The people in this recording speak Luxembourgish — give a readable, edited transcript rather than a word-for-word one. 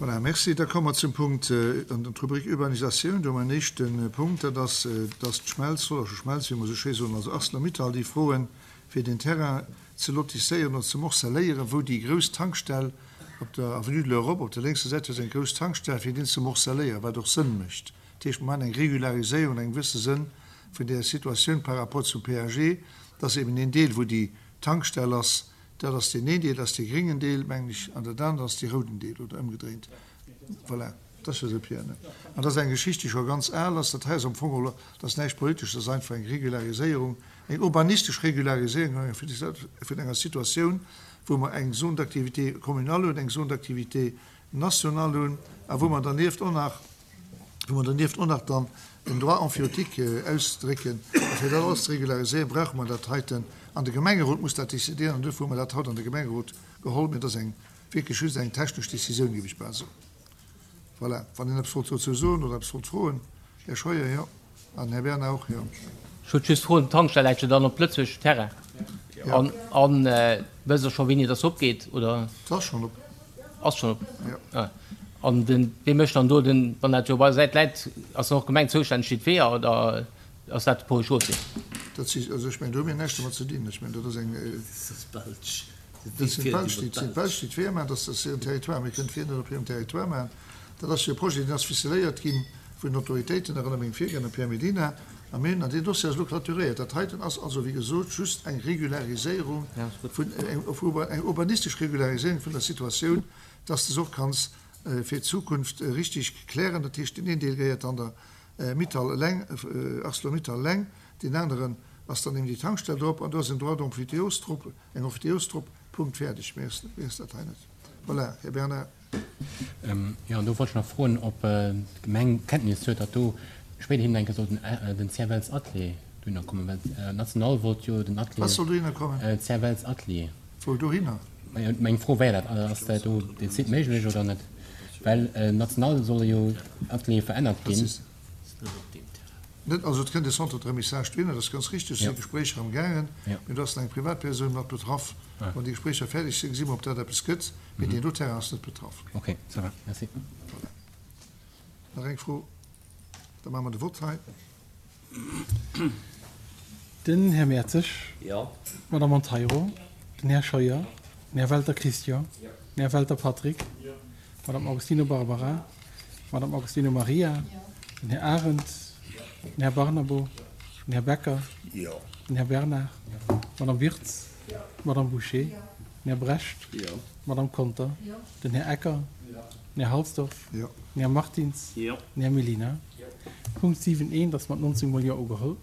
Voilà, merci. Da komme mer zum Punkt an der Rubrik Urbanisatioun. Do hu mer en éischte Punkt, dat ass, dass d'Schmelz, Hollersche Schmelz, wéi mer esou schéi soen, also Arcelor-Mittal, déi froen, fir den Terrain ze lotisséieren oder ze morcelléieren, wou déi grouss Tankstell op der Avenue de l'Europe, op der lénkser Säit, do ass eng grouss Tankstell, fir deen ze morcelléieren, wat och Sënn mécht. Dat heescht, mer maachen eng Regulariséierung an engem gewësse Sënn vun där Situatioun par rapport zum PAG, dass eben deen Deel, wou déi Tankstell ass, dat ass deen een Deel, dat ass dee gréngen Deel, mengen ech, an dat anert ass dee rouden Deel, oder ëmgedréint. Voilà, dat ass jo esou, Pierre, ne? An dat ass eng Geschicht, déi scho ganz al ass. Dat hei ass am Fong elo, dat ass näischt Politesches, dat ass einfach eng Regulariséierung, eng urbanistesch Regulariséierung vun enger Situatioun, wou mer eng Zone d'activité communale hunn, eng Zone d'activité nationale hunn a wou mer dernieft och nach, wou mer dernieft och nach dann den Droit emphytéotique ausdrécken. A fir dat alles ze regulariséieren, brauche mer dat heiten. An de Gemengerot muss dat décidéieren an duerfir hu mer dat haut an de Gemengerot geholl. Mee et ass eng wierklech just eng technesch Décisioun, géif ech bal soen. Voilà, wann een eppes wollt dozou soen oder eppes wollt froen. Här Scheuer, jo. An Här Bernard och, jo. Ech wollt just froen, d'Tankstell läit jo dann op Lëtzebuergeschem Terrain. Jo. An wësst Der scho wéini dass opgeet, oder? S'ass schonn op. Ass schonn op? Jo. Ah. An den, wee mécht dann do den, wann dat jo op eiser Säit läit, ass dann och d'Gemeng zoustänneg fir d'Weeër oder ass dat de Paul Chaussée? Dat si, also ech mengen do hu mir näischt domat ze dinn. Ech mengen dat ass eng. Dat ass d'Belsch. Dat sinn d'Belsch, déi sinn d'Belsch, déi d'Weeër maachen. Dat ass hiren Territoire. Mir kënnen d'Weeër net op hirem Territoire maachen. Dat ass jo e Projet, deen ass ficeléiert gi vun den Autoritéiten, erënnere meng Virgänger, Pierre Mellina a mir hunn, an deen Dossier ass elo clôturéiert. Dat heiten ass also, wéi gesot, just eng Regulariséierung vun, eng urbanistesch Regulariséierung vun der Situatioun, dass de se och kanns fir d'Zukunft richtig klären. Dat heescht, deen een Deel gehéiert dann der Mittal eleng, Arcelor-Mittal eleng, deen aneren ass dann eben déi Tankstell drop an do ass en Droit d'emphytéose drop, eng Emphytéose drop, Punkt, fäerdeg. Méi ass, méi ass dat hei net. Voilà, Här Bernard. Jo, an do wollt ech nach froen, ob d'Gemeng Kenntnis huet, datt do spéiderhin eng Kéier soll den CFLs Atelier dohinner kommen, well National wollt jo den Atelier. Wat soll dohinner kommen? CFLs Atelier. Wou dohinner? Majo, meng Fro wär dat, ass dat do dee Site méiglech oder net? Well national solle jo Ateliere verännert ginn. Net, also et kënnt e Centre de remissage dohinner, dat ass ganz richtig, do si Gespréicher am gaangen, mee do ass nach eng Privatpersoun mat betraff. Wann déi Gespréicher fäerdeg sinn, gesi mer, ob dat eppes gëtt, mee deen do Terrain ass net betraff. Ok, ça va, merci. Voilà. Nach eng Fro, da maache mer de Vott hei. Den Här Mertzig. Jo. D'Madame Monteiro. Den Här Scheuer. Den Här Welter Christian. Den Här Welter Patrick. D'Madame Augustino Barbara. D'Madame Augustino Maria. Den Här Arendt. Den Här Barnabo. Den Här Becker. Den Här Bernard. D'Madame Wirtz. D'Madame Bouché. Den Här Brecht. D'Madame Conter. Den Här Ecker. Den Här Halsdorf. Den Här Martins. Den Här Mellina. Punkt 7 eent ass mat 19 mol Jo ugeholl.